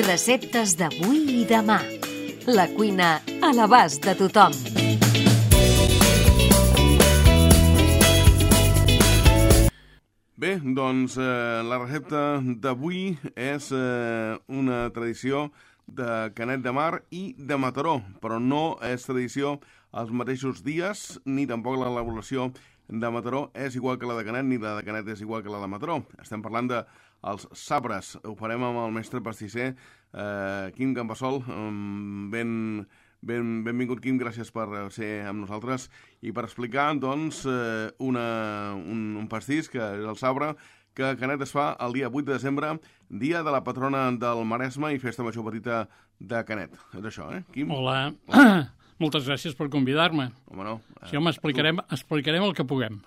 Receptes d'avui i demà. La cuina a l'abast de tothom. Bé, doncs la recepta d'avui és una tradició de Canet de Mar i de Mataró, però no és tradició els mateixos dies, ni tampoc l'elaboració de Mataró és igual que la de Canet, ni la de Canet és igual que la de Mataró. Estem parlant dels sabres. Ho farem amb el mestre pastisser Quim Campassol. Benvingut, Quim, gràcies per ser amb nosaltres i per explicar, doncs, un pastís, que és el sabre, que a Canet es fa el dia 8 de desembre, dia de la patrona del Maresme i festa major petita de Canet. És això, Quim? Hola. Moltes gràcies per convidar-me. Home, no. Sí, home, explicarem el que puguem.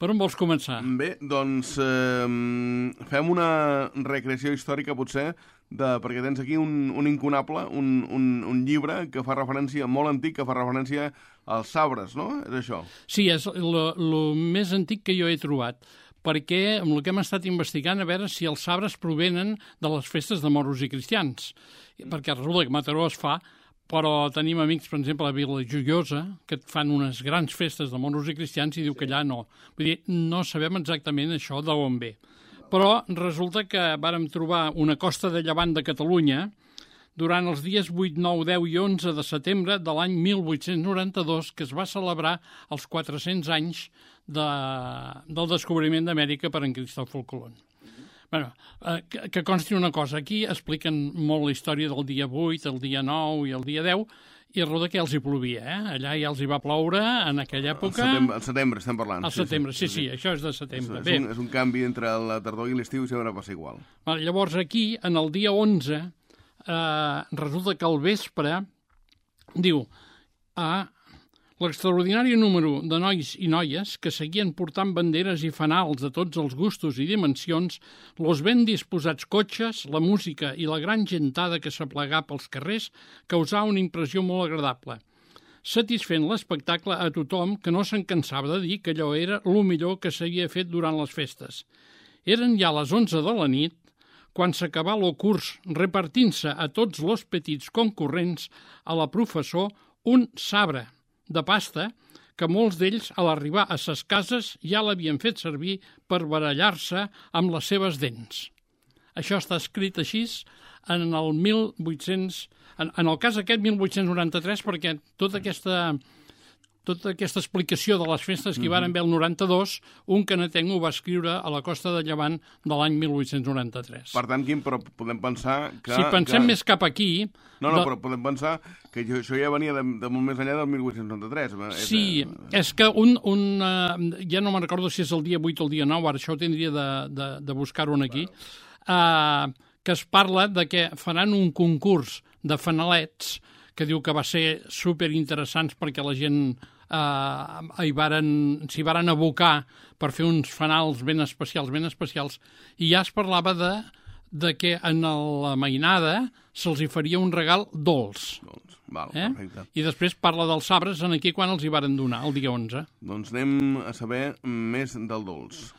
Per on vols començar? Bé, doncs fem una recreació històrica, potser, perquè tens aquí un incunable, un llibre que fa referència, molt antic, que fa referència als sabres, no? És això? Sí, és el més antic que jo he trobat, perquè amb el que hem estat investigant a veure si els sabres provenen de les festes de moros i cristians. Perquè resulta que Mataró es fa, però tenim amics, per exemple, a Vila Joiosa, que fan unes grans festes de moros i cristians i diu que allà no. Vull dir, no sabem exactament això d'on ve. Però resulta que vàrem trobar una costa de llevant de Catalunya durant els dies 8, 9, 10 i 11 de setembre de l'any 1892, que es va celebrar els 400 anys del descobriment d'Amèrica per en Cristòfol Colón. Bueno, que consti una cosa, aquí expliquen molt la història del dia 8, el dia 9 i el dia 10, i resulta que els hi plovia, Allà ja els hi va ploure en aquella època... Al setembre estem parlant. Al setembre, sí, això és de setembre. És un canvi entre la tardor i l'estiu i sempre passa igual. Llavors aquí, en el dia 11, resulta que al vespre, diu... L'extraordinari número de nois i noies que seguien portant banderes i fanals de tots els gustos i dimensions, los ben disposats cotxes, la música i la gran gentada que s'aplegà pels carrers causà una impressió molt agradable, satisfent l'espectacle a tothom que no se'n cansava de dir que allò era el millor que s'havia fet durant les festes. Eren ja les 11 de la nit, quan s'acabà el curs repartint-se a tots los petits concurrents a la professor un sabre de pasta que molts d'ells, a l'arribar a ses cases, ja l'havien fet servir per barallar-se amb les seves dents. Això està escrit així en el 1800... En el cas aquest, 1893, perquè tota aquesta explicació de les festes que hi van haver el 92, un canetenc ho va escriure a la costa de Llevant de l'any 1893. Per tant, Quim, però podem pensar que... Si pensem més cap aquí... No, però podem pensar que això ja venia de molt més enllà del 1893. Sí, és que ja no me'n recordo si és el dia 8 o el dia 9, ara això ho tindria de buscar-ho aquí, que es parla de que faran un concurs de fanalets que diu que va ser superinteressants perquè la gent s'hi varen abocar per fer uns fanals ben especials, i ja es parlava de que en la mainada se'ls hi faria un regal dolç. Val, perfecte. I després parla dels sabres en aquí quan els hi varen donar, el dia 11. Doncs anem a saber més del dolç.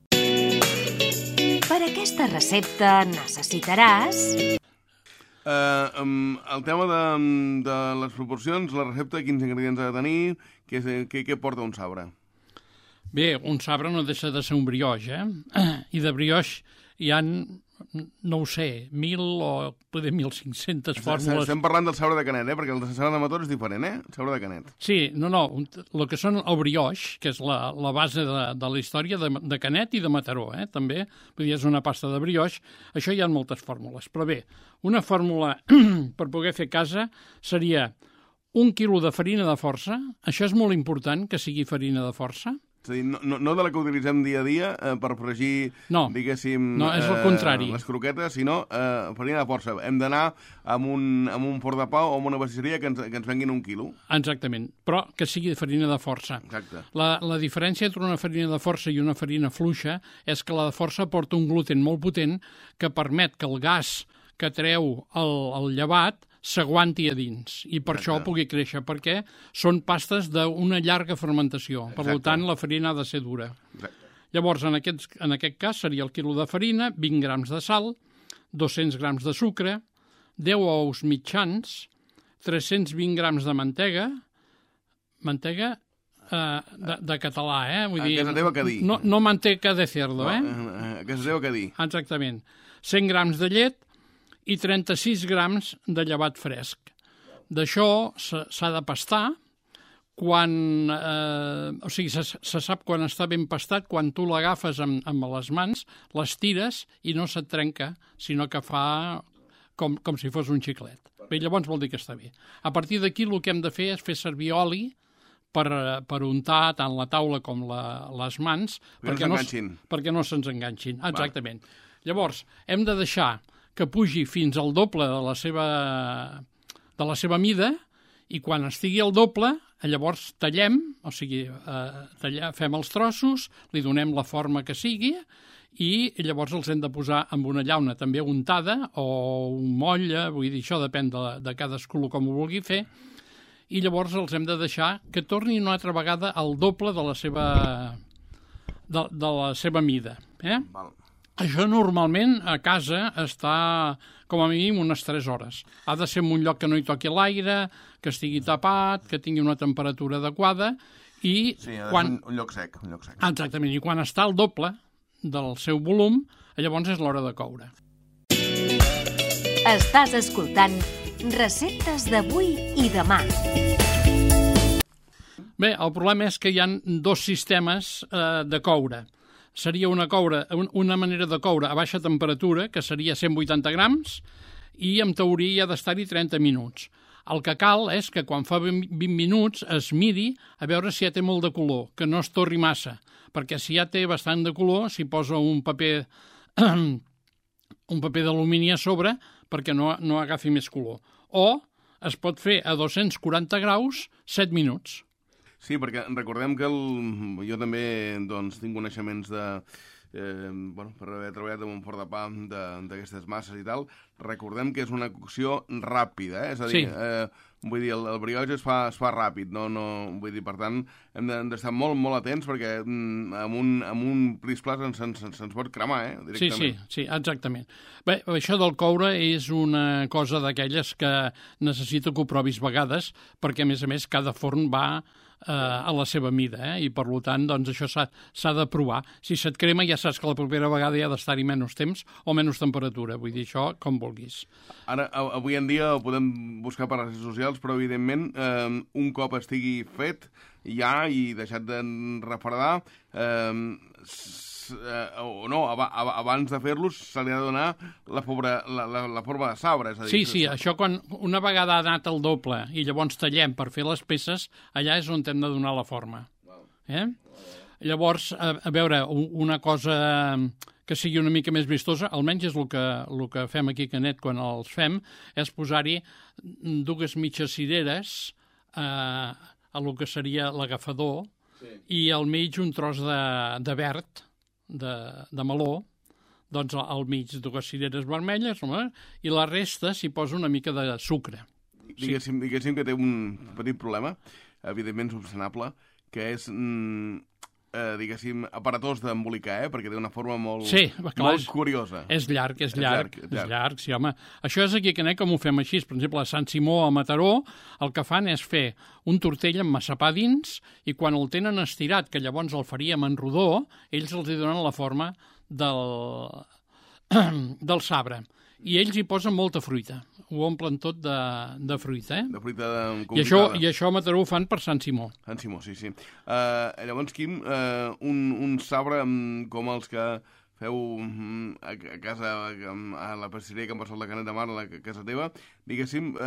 Per aquesta recepta necessitaràs... el tema de les proporcions, la recepta, quins ingredients ha de tenir, què porta un sabre? Bé, un sabre no deixa de ser un brioix, I de brioix hi ha, no ho sé, 1.000 o poder 1.500 fórmules. Estem parlant del sabre de Canet, perquè el sabre de Mataró és diferent, El sabre de Canet. Sí, el que són el brioix, que és la base de la història de Canet i de Mataró, també, vull dir, és una pasta de brioix, això hi ha moltes fórmules. Però bé, una fórmula per poder fer a casa seria 1 quilo de farina de força, això és molt important, que sigui farina de força. És a dir, no de la que utilitzem dia a dia per fregir, diguéssim... No, és el contrari. Les croquetes, sinó farina de força. Hem d'anar amb un forn de pa o amb una pastisseria que ens venguin 1 quilo. Exactament, però que sigui de farina de força. Exacte. La diferència entre una farina de força i una farina fluixa és que la de força porta un gluten molt potent que permet que el gas que treu el llevat s'aguanti a dins i per això pugui créixer, perquè són pastes d'una llarga fermentació. Per tant, la farina ha de ser dura. Llavors, en aquest cas, seria el quilo de farina, 20 grams de sal, 200 grams de sucre, 10 ous mitjans, 320 grams de mantega de català, vull dir... A casa teva què dir? No manteca de cerdo, A casa teva què dir? Exactament. 100 grams de llet i 36 grams de llevat fresc. D'això s'ha de pastar quan... o sigui, se sap quan està ben pastat, quan tu l'agafes amb les mans, les tires i no se't trenca, sinó que fa com si fos un xiclet. Bé, llavors vol dir que està bé. A partir d'aquí el que hem de fer és fer servir oli per untar tant la taula com les mans perquè no se'ns enganxin. Exactament. Llavors, hem de deixar que pugi fins al doble de la seva mida i quan estigui al doble, llavors tallem, o sigui, fem els trossos, li donem la forma que sigui i llavors els hem de posar amb una llauna també untada o un motlle, vull dir, això depèn de cadascú com ho vulgui fer, i llavors els hem de deixar que tornin una altra vegada al doble de la seva mida. Val. Això normalment a casa està com a mínim unes 3 hores. Ha de ser en un lloc que no hi toqui l'aire, que estigui tapat, que tingui una temperatura adequada i... Sí, ha de ser un lloc sec. Exactament, i quan està al doble del seu volum, llavors és l'hora de coure. Estàs escoltant Receptes d'avui i demà. Bé, el problema és que hi ha 2 sistemes de coure. Seria una manera de coure a baixa temperatura, que seria 180 grams, i en teoria ha d'estar-hi 30 minuts. El que cal és que quan fa 20 minuts es miri a veure si ja té molt de color, que no es torri massa, perquè si ja té bastant de color, s'hi posa un paper d'alumini a sobre perquè no agafi més color. O es pot fer a 240 graus 7 minuts. Sí, perquè recordem que jo també tinc coneixements per haver treballat en un forn de pa d'aquestes masses i tal, recordem que és una cocció ràpida, és a dir, vull dir, el brioix es fa ràpid, vull dir, per tant, hem d'estar molt, molt atents perquè amb un plis-plas se'ns pot cremar, directament. Sí, exactament. Bé, això del coure és una cosa d'aquelles que necessita que ho provis vegades, perquè, a més, cada forn va a la seva mida, i per tant això s'ha de provar. Si se't crema ja saps que la propera vegada hi ha d'estar-hi menys temps o menys temperatura, vull dir, això com vulguis. Ara, avui en dia ho podem buscar per les xarxes socials, però evidentment un cop estigui fet ja i deixat de refredar, abans de fer-los se li ha de donar la forma de sabre. És a dir, sí, això quan una vegada ha anat al doble i llavors tallem per fer les peces, allà és on hem de donar la forma. Llavors, a veure, una cosa que sigui una mica més vistosa, almenys és el que fem aquí a Canet quan els fem, és posar-hi 2 mitges cireres a el que seria l'agafador i al mig un tros de verd, de meló, doncs al mig 2 cireres vermelles, i la resta s'hi posa una mica de sucre. Diguéssim que té un petit problema, evidentment subsanable, que és, aparatós d'embolicar, perquè té una forma molt curiosa. És llarg, sí, home. Això és aquí a Canet com ho fem així. Per exemple, a Sant Simó, a Mataró, el que fan és fer un tortell amb massapà dins i quan el tenen estirat, que llavors el faríem en rodó, ells els hi donen la forma del sabre. I ells hi posen molta fruita. Ho omplen tot de fruita, De fruita confitada. I això a Mataró ho fan per Sant Simó. Sant Simó, sí. Llavors, Quim, un sabre com els que feu a casa, a la pastisseria que em passat la Canet de Mar, a la casa teva, diguéssim,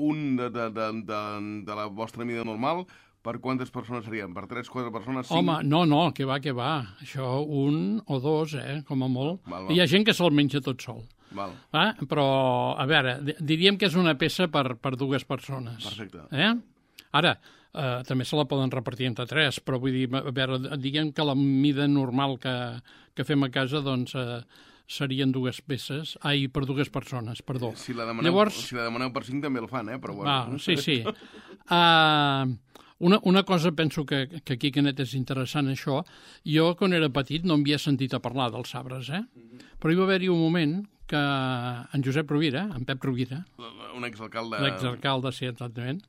un de la vostra mida normal, per quantes persones serien? Per 3, 4 persones? 5? Home, no, que va. Això, 1 o 2, com a molt. Val. Hi ha gent que se'l menja tot sol. Val. Però, a veure, diríem que és una peça per 2 persones. Perfecte. Ara, també se la poden repartir entre 3, però vull dir, a veure, diguem que la mida normal que fem a casa, doncs, serien 2 peces, per 2 persones, perdó. Si la demaneu per 5 també el fan, però bueno. Sí. Una cosa penso que aquí a Canet és interessant això, jo quan era petit no havia sentit a parlar dels sabres, però hi va haver-hi un moment que en Josep Rovira, en Pep Rovira, un exalcalde... l'exalcalde, sí, exactament,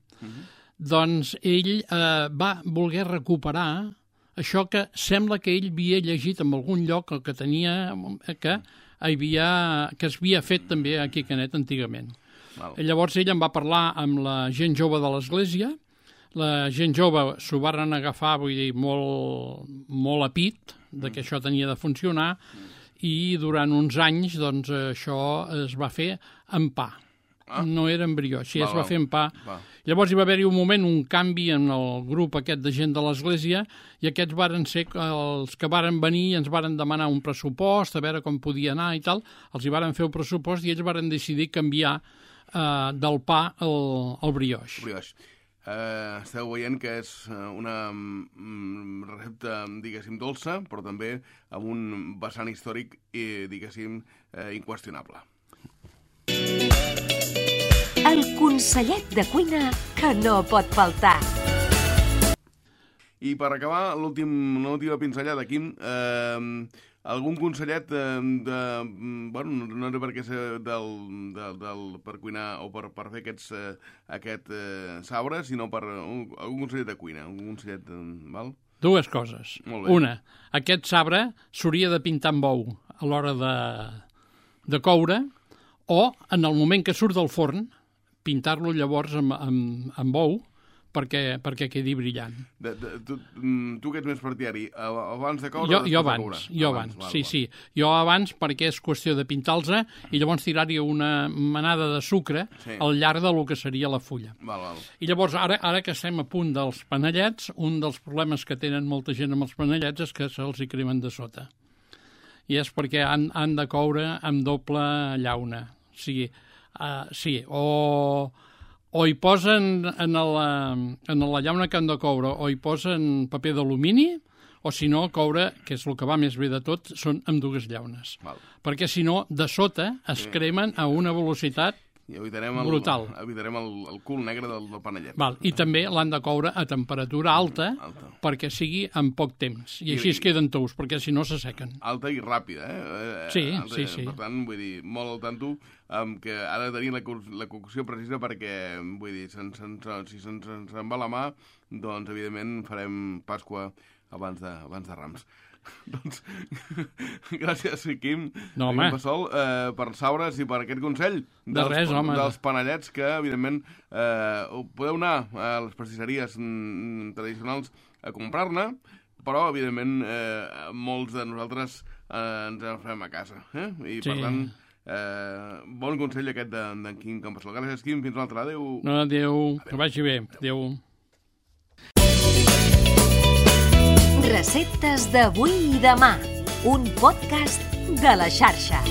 doncs ell va voler recuperar això que sembla que ell havia llegit en algun lloc el que tenia, que es havia fet també aquí a Canet antigament. Llavors ell en va parlar amb la gent jove de l'església, la gent jove s'ho van agafar, vull dir, molt a pit, que això tenia de funcionar, i durant uns anys doncs, això es va fer amb pa. No era embrió, així es va fer amb pa. Llavors hi va haver-hi un moment, un canvi en el grup aquest de gent de l'església, i aquests varen ser els que varen venir i ens varen demanar un pressupost, a veure com podia anar i tal. Els hi varen fer el pressupost i ells varen decidir canviar del pa al brioix. Esteu veient que és una recepta, diguéssim, dolça, però també amb un vessant històric, diguéssim, inqüestionable. El consellet de cuina que no pot faltar. I per acabar, l'última pinzellada, Quim, algun consellet bueno, no sé per què ser per cuinar o per fer aquest sabre, sinó per algun consellet de cuina, algun consellet, val? Dues coses. Una, aquest sabre s'hauria de pintar amb ou a l'hora de coure, o en el moment que surt del forn, pintar-lo llavors amb ou perquè quedi brillant. Tu que ets més partidari, abans de coure? Jo abans. Sí. Jo abans perquè és qüestió de pintar-los i llavors tirar-hi una manada de sucre al llarg del que seria la fulla. I llavors, ara que estem a punt dels panellets, un dels problemes que tenen molta gent amb els panellets és que se'ls hi cremen de sota. I és perquè han de coure amb doble llauna. Sí, o hi posen en la llauna que han de coure, o hi posen paper d'alumini, o si no, coure, que és el que va més bé de tot, són amb dues llaunes. Perquè si no, de sota es cremen a una velocitat brutal. Evitarem el cul negre del panellet. I també l'han de coure a temperatura alta perquè sigui en poc temps. I així es queden tous, perquè si no s'assequen. Alta i ràpida, Sí. Per tant, vull dir, molt al tanto que ha de tenir la cocció precisa perquè, vull dir, si se'ns en va la mà, doncs, evidentment, farem Pasqua abans de Rams. Doncs, gràcies, Quim, Passol, per sabres i per aquest consell dels panellets que, evidentment, podeu anar a les pastisseries tradicionals a comprar-ne, però, evidentment, molts de nosaltres ens en farem a casa. I, per tant, bon consell aquest d'en Quim Campassol. Gràcies, Quim, fins l'altre. Adéu. Adéu, que vagi bé. Adéu. Receptes d'avui i demà, un podcast de la xarxa.